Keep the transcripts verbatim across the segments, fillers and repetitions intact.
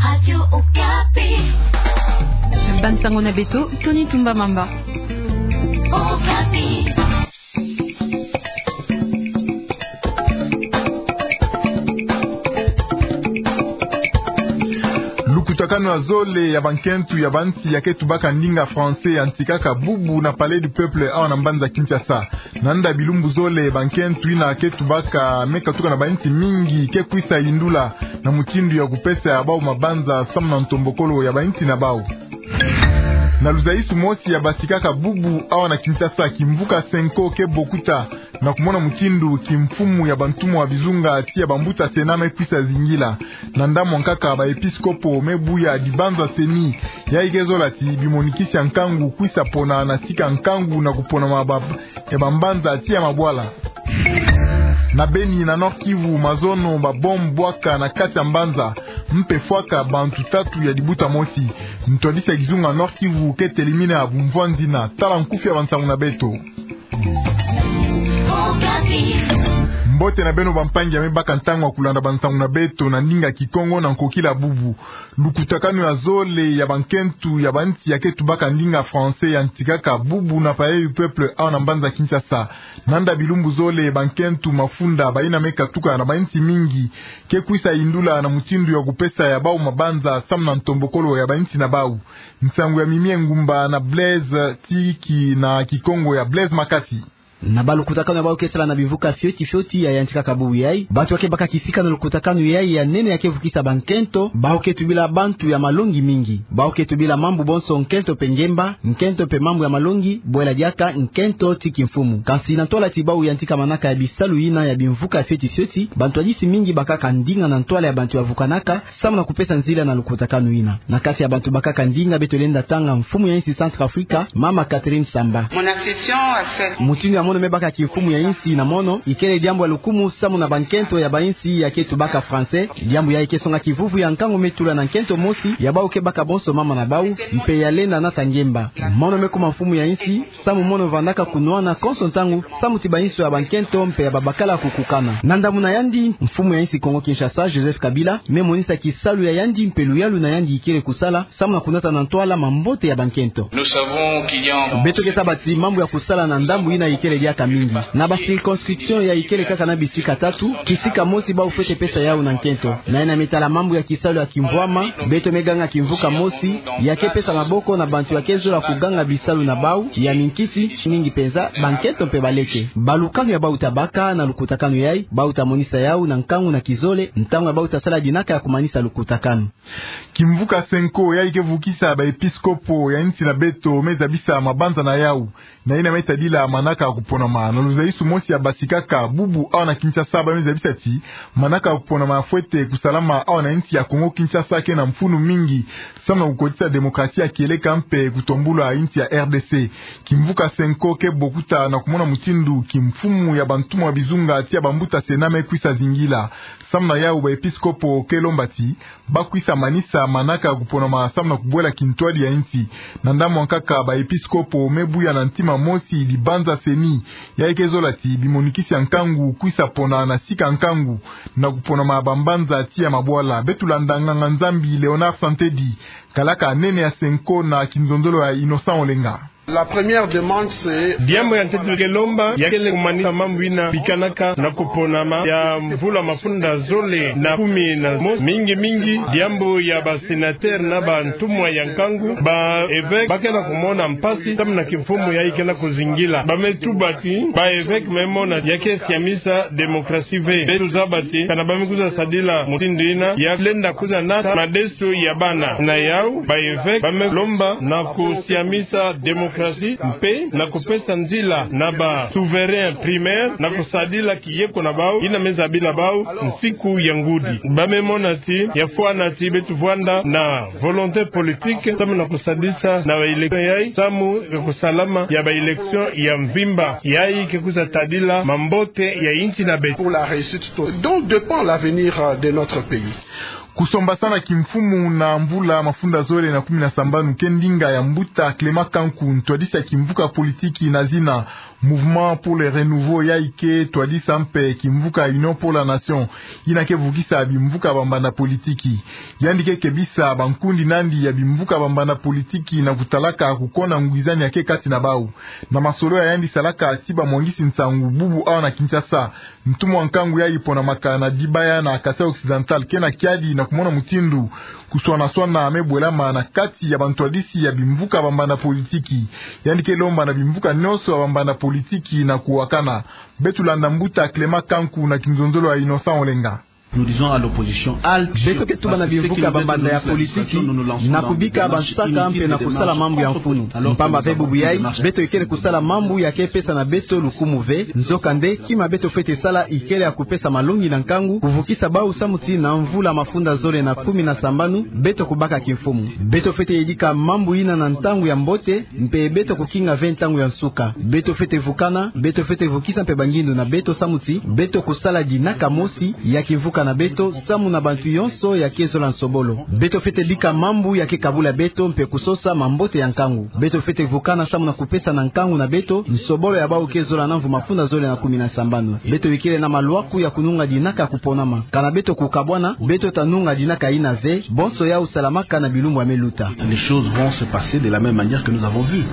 Radio Okapi. Bansango na beto, Tony Tumba Mamba. Okapi. Lukutakanu ya zole ya bankento ya bansi ya ke tubaka ndinga français yantikaka bubu na Palais du Peuple awa na mbanza Kinshasa. Na nda bilumbu zole, bankento yina ke tubaka me katuka na bansi mingi ke kwisa yindula na mutindu ya kupesa ya bau mabanza samu na ntombokolo ya bansi na bau. Na luzaisu mosi ya basikaka bubu awa na Kinshasa, kimvuka Cenco ke bokuta na kumona mutindu kimfumu ya bantumwa bizunga ti ya bambuta Sena me kwisa zingila. Na ndambu ya nkaka, baepiskopo me buya dibanza CENI, yayi ke zola ti bimonikisi ya nkangu kwisa pona na sika nkangu na kupona maba-, ya bambanza ti ya mabwala. Na Beni na Nord-Kivu, mazono, babombe bwaka na kati ya mbanza, mpe fwaka bantu tatu ya dibuta mosi. Ntwadisi ya kizunga Nord-Kivu ke telimina bumvwanzi na tala nkufi ya bansango na beto. Mbote na beno bampangi ya me baka ntangu ya kulanda bansango na beto na ndinga Kikongo na nkokila bubu. Lukutakanu ya zole ya bankento ya bansi ya ke tubaka ndinga français yantikaka bubu na Palais du Peuple awa na mbanza Kinshasa. Na nda bilumbu zole, bankento, mafunda, bayina me katuka na bansi mingi ke kwisa yindula na mutindu ya kupesa ya bau mabanza samu na ntombokolo ya bansi na bau. Nsangu ya Mimi Engumba na Blaise Tiki na Kikongo ya Blaise Makasi. Na balukutakanu ya bau ke sala na bimvuka fioti fioti ya yantikaka bubu yayi, bantu ya ke baka kisika na lukutakanu yayi ya nene ya ke vukisa bankento, bau ke tubila bantu ya malongi mingi. Bau ke tubila mambu bonso nkento mpe ngemba, nkento mpe mambu ya malongi, bwela diaka nkento ti kimfumu. Kansi na ntwala ti bau yantika manaka ya bisalu yina ya bimvuka fioti fioti, bantwadisi mingi bakaka ndinga na ntwala ya bantu ya vukanaka, samu na kupesa nzila na lukutakanu yina. Na kati ya bantu bakaka ndinga, beto lenda tanga mfumu ya insi Centrafrique, Mama Catherine Samba. Mon accession à cette... Mutindu ya mono me baka kimfumu ya insi na mono, ikele diambu ya lukumu samu na bankento ya bainsi ya ke tubaka français. Diambu yayi ke songa kivuvu ya nkangu me tula na nkento mosi ya bau ke baka bonso mama na bau, mpe ya lenda nata ngemba. Mono me kuma mfumu ya insi, samu mono vandaka kunwana konso ntangu, samu ti bainso ya bankento mpe ya babakala kukukana. Na ndambu na yandi, mfumu ya insi Kongo Kinshasa, Joseph Kabila, me monisa kisalu ya yandi mpe luyalu na yandi ikele kusala, samu na kunata na ntwala mambote ya bankento. Nous savons qu'il y a... Beto ke zaba ti mambu ya kusala na ndambu yina ikele diaka mingi. Na ba circonscription ya ikele kaka na bisika tatu, kisika mosi bau fwete pesa yau na nkento. Na yina me tala mambu ya kisalu ya kimvwama, beto me ganga kimvuka mosi ya ke pesa maboko na bantu ya ke zola kuganga bisalu na bau ya minkisi, mingi penza bankento mpe baleke. Balukanu ya bau ta baka na lukutakanu yayi, bau ta monisa yau na nkangu na kizole, ntangu ya bau ta sala dinaka ya kumanisa lukutakanu. Kimvuka Cenco, yayi ke vukisa baepiskopo ya insi na beto, me zabisa mabanza na yau. Na yina me tadila manaka ya kuponama. Na luzaisu mosi ya basikaka bubu awa na Kinshasa, ba me zabisa ti manaka ya kuponama fwete kusalama awa na insi ya Kongo Kinshasa ke na mfunu mingi, samu na kukotisa demokrasi ya kieleka mpe kutombula insi ya R D C. Kimvuka Cenco ke bokuta na kumona mutindu kimfumu ya bantumwa bizunga ti ya bambuta Sena me kwisa zingila. Samu na yau, baepiskopo ke lomba ti ba kwisa manisa manaka ya kuponama samu na kubwela kintwadi ya insi. Na ndambu ya nkaka, baepiskopo me buya na ntima mosi dibanza CENI, yayi ke zola ti bimonikisi ya nkangu kwisa pona na sika nkangu na kuponama bambanza ti ya mabwala. Beto landa nganga-Nzambi Léonard Santedi, kalaka nene ya Cenco na kinzonzolo ya Innocent Olenga. La première demande, c'est... Diambu ya ntete ke lomba, ya kele kumanisa mambu yina bikanaka na kuponama ya mvula mafunda zole na kumi na mosi, mingi mingi diambu ya ba sénateur na bantumwa ya nkangu. Baeveke ba ke na kumona mpasi samu na kimfumu yayi ke na kuzingila. Ba me tuba ti baeveke me mona ya ke siamisa demokrasi ve. Beto zaba ti kana ba me kwiza sadila mutindu yina, ya lenda kwiza nata madeso ya bana. Na yau, baeveke ba me lomba na kusiamisa demokrasi mpe na kupesa nzila na ba souverain primaire na kusadila kiyeko na bau yina me zabila bau nsiku ya ngudi. Ba me mona ti ya fwana ti beto vwanda na volonté politique samu na kusadisa na ba élection yayi, samu ya kusalama ya ba élection ya mvimba yayi ke kwiza tadila mambote ya insi na beto. Pour la réussite to-, dont dépend l'avenir, euh, de notre pays. Kusombasana kimfumu na mvula mafunda zole na kumi na sambanu ke ndinga ya mbuta Clément Kanku, ntwadisi ya kimvuka politiki na zina Mouvement pour le Renouveau, yai ke twadisa mpe kimvuka Union pour la Nation, yina ke vukisa bimvuka bambanda politiki. Yandi ke kebisa bankundi nandi ya bimvuka bambanda politiki na kutalaka kukona ngwizani ya ke kati na bau. Na masolo ya yandi salaka ti bamwangisi nsangu bubu awa na Kinshasa, ntumwa nkangu yai ponamaka na Dibaya na Kasaï Occidental ke na kiadi na kumona mutindu kuswana-swana me bwelama na kati ya bantwadisi ya bimvuka bambanda politiki. Yandi ke lomba na bimvuka nyonso ya bambanda politiki na kuwakana. Beto landa mbuta Clément Kanku na kinzonzolo ya Innocent Olenga. Nous disons à l'opposition, halte. Beto ke tuba na bimvuka bambanda ya politiki na kubika bansaka mpe na kusala mambu ya mfunu. Mpamba ve bubu yai, beto ikele kusala mambu ya ke pesa na beto lukumu ve. Nzokande, kima beto fwete sala ikele ya kupesa malongi na nkangu, kuvukisa bau samu ti na mvula mafunda zole na kumi na sambanu, beto kubaka kimfumu. Beto fwete yedika mambu yina na ntangu ya mbote, mpe beto kukinga ve ntangu ya nsuka. Beto fwete vukana, beto fwete vukisa mpe bangindu na beto samu ti beto kusala dinaka mosi ya kimvuka na beto samu na bantu yonso ya ke zola nsobolo. Beto fwete bika mambu ya ke kabula beto mpe kusosa mambote ya nkangu. Beto fwete vukana samu na kupesa na nkangu na beto nsobolo ya bau ke zola na mvu mafunda zole na kumi na sambanu. Beto ikele na malwaku ya kununga dinaka kuponama. Kana beto kukabwana, beto ta nunga dinaka yina ve, bonso yau salamaka na bilumbu ya me luta. Les choses vont se passer de la même manière que nous avons vu.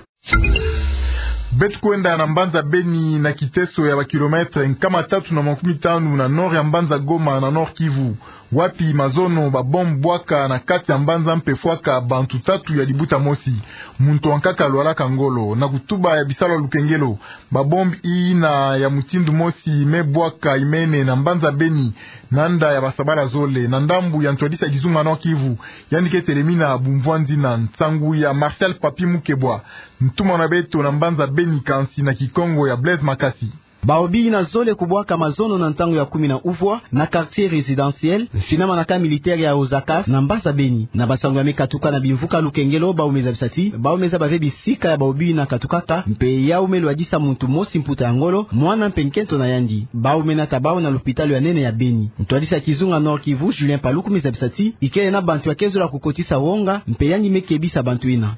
Beto kwenda na mbanza Beni na kiteso ya ba kilomètre nkama tatu na makumi tanu na nord ya mbanza Goma na Nord-Kivu, wapi mazono ba bombe bwaka na kati ya mbanza mpe fwaka bantu tatu ya libuta mosi, muntu wa nkaka lwalaka ngolo, na kutuba ya bisalu ya lukengelo. Ba bombe yina ya mutindu mosi me bwaka imene na mbanza Beni, na nda ya basabala zole, na ndambu ya ntwadisi ya kizunga Nord-Kivu, yandi ke telemina bumvwanzi na nsangu ya Martial Papi Mukebwa, ntumwa na beto na mbanza Beni, kansi na Kikongo ya Blaise Makasi. Bau bina zole kubwaka mazono na ntangu ya kumi na uvwa na quartier résidentiel, mfinama na camp militaire ya Ozakaf na mbanza Beni. Na bansangu ya me katuka na bimvuka lukengelo, bau me zabisa ti bau me zaba ve bisika ya bau bina katukaka, mpe yau me lwadisa muntu mosi mputa ya ngolo, mwana mpe nkento na yandi. Bau me nata bau na lopitalo ya nene ya Beni. Ntwadisi ya kizunga Nord-Kivu, Julien Paluku, me zabisa ti ikele na bantu ya ke zola kukotisa wonga, mpe yandi me kebisa bantu yina.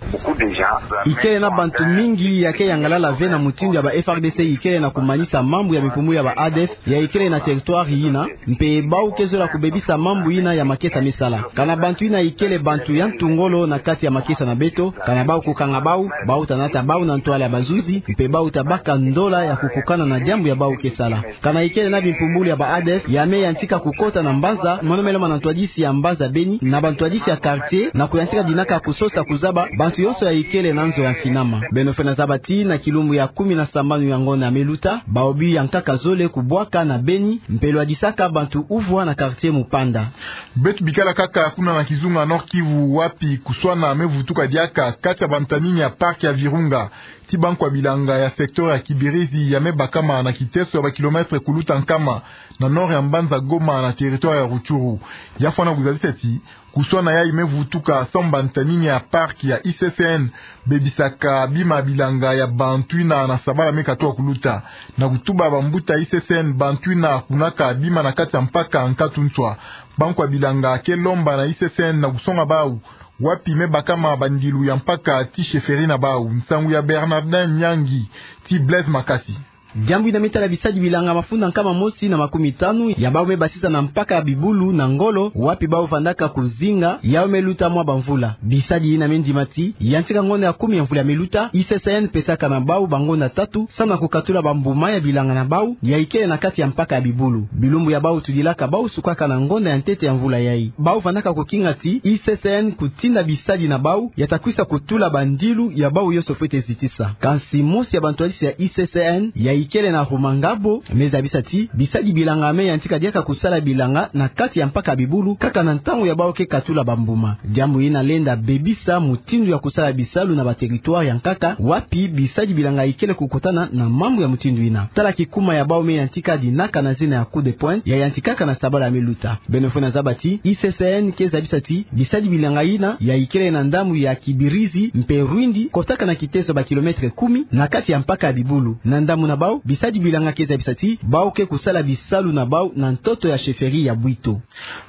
Ikele na bantu mingi ya ke yangalala ve na mutindu ya ba F A R D C ikele na kumanisa mambu ya bimpumbulu ya ba A D F ya ikele na territoire yina, mpe bau ke zola kubebisa mambu yina ya makesa me sala. Kana bantu yina ikele bantu ya ntu ngolo na kati ya makesa na beto, kana bau kukanga bau, bau ta nata bau na ntwala ya bazuzi, mpe bau ta baka ndola ya kukokana na diambu ya bau ke sala. Kana ikele na bimpumbulu ya ba A D F ya me yantika kukota na mbanza, mono me lomba na ntwadisi ya mbanza Beni na bantwadisi ya quartier, na kuyantika dinaka kusosa kuzaba bantu yonso ya ikele na nzo ya mfinama. Beno fwete zaba ti na kilumbu ya kumi na sambanu ya ngonda ya me luta, bau bina ya nkaka zole kubwaka na Beni, mpe lwadisaka bantu uvwa na quartier Mupanda. Beto bikala kaka kuna na kizunga Nord-Kivu, wapi kuswana me vutuka diaka kati ya bantaningi ya parc ya Virunga ti bankwa bilanga ya secteur ya Kibirizi ya me bakama na kiteso ya ba kilomètre kuluta nkama na nord ya mbanza Goma na territoire ya Rutshuru. Ya fwana kuzabisa ti kuswana yai me vutuka samu bantaningi ya parc ya I C C N bebisaka bima bilanga ya bantu yina na sabala me katuka kuluta. Na kutuba bambuta I C C N, bantu yina kunaka bima na kati ya mpaka nkatu nswa. Bankwa bilanga ke lomba na I C C N na kusonga bau wapi me bakama bandilu ya mpaka ti chefferie na bau. Nsangu ya Bernardin Nyangi ti Blaise Makasi. Diambu yina me tala bisadi bilanga mafunda nkama mosi na makumi tanu ya bau me basisa na mpaka ya Bibulu na ngolo, wapi bau vandaka kuzinga, yau me luta mwa bamvula. Bisadi yina me ndima ti yantika ngonda ya kumi ya mvula ya me luta, I C C N pesaka na bau bangonda tatu samu na kukatula bambuma ya bilanga na bau ya ikele na kati ya mpaka ya Bibulu. Bilumbu ya bau tudilaka bau sukaka na ngonda ya ntete ya mvula yai. Bau vandaka kukinga ti I C C N kutinda bisadi na bau ya ta kwisa kutula bandilu ya bau yonso fwete zitisa. Kansi mosi ya bantwadisi ya I C C N ya ikele na Rumangabo me zabisa ti bisadi bilanga me yantika diaka kusala bilanga na kati ya mpaka ya Bibulu kaka na ntangu ya bau ke katula bambuma. Diambu yina lenda bebisa mutindu ya kusala bisalu na ba territoire ya nkaka wapi bisadi bilanga ikele kukutana na mambu ya mutindu yina. Tala kikuma ya bau me yantika dinaka na zina ya coup de poing ya yantikaka na sabala ya me luta. Beno fwete zaba ti I C C N ke zabisa ti bisadi bilanga yina ya ikele na ndambu ya Kibirizi mpe Rwindi kotaka na kiteso ba kilomètre kumi na kati ya mpaka ya Bibulu. Na ndambu na bau Bisadi bilanga ke zabisa ti bau ke kusala bisalu na bau na ntoto ya chefferie ya Bwito.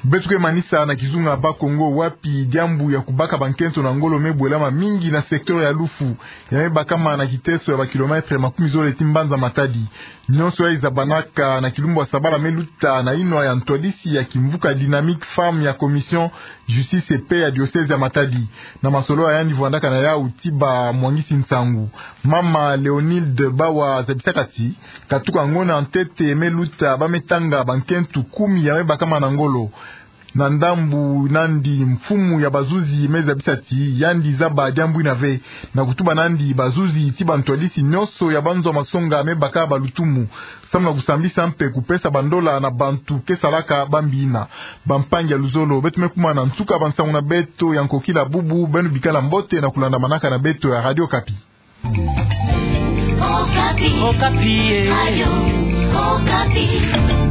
Beto ke manisa na kizunga Bas-Congo, wapi diambu ya kubaka bankento na ngolo me bwelama mingi na secteur ya Lufu, ya me bakama na kiteso ya ba kilomètre makumi zole ti mbanza Matadi. Nyonso ya izabanaka na kilumbu ya sabala me luta na inwa ya ntwadisi ya kimvuka Dynamique Femmes ya Commission Justice et Paix ya diocèse ya Matadi. Na masolo ya yandi vwandaka na yau ti bamwangisi nsangu, Mama Léonilde Bawa zabisaka ti katuka ngona ntete me luta ba me tanga bankento kumi ya me bakama na ngolo. Na ndambu nandi, mfumu ya bazuzi me zabisa ti yandi zaba diambu ina ve, na kutuba nandi bazuzi ti bantwadisi nyonso ya banzo masonga me baka balutumu, samu na kusambisa mpe kupesa bandola na bantu ke salaka bambi ina. Bampangi ya luzolo, beto me kuma na nsuka bansangu na beto ya nkokila bubu. Beno bikala mbote na kulandamanaka na beto ya Radio Okapi. Okapi. Okapi, eh. Radio Okapi.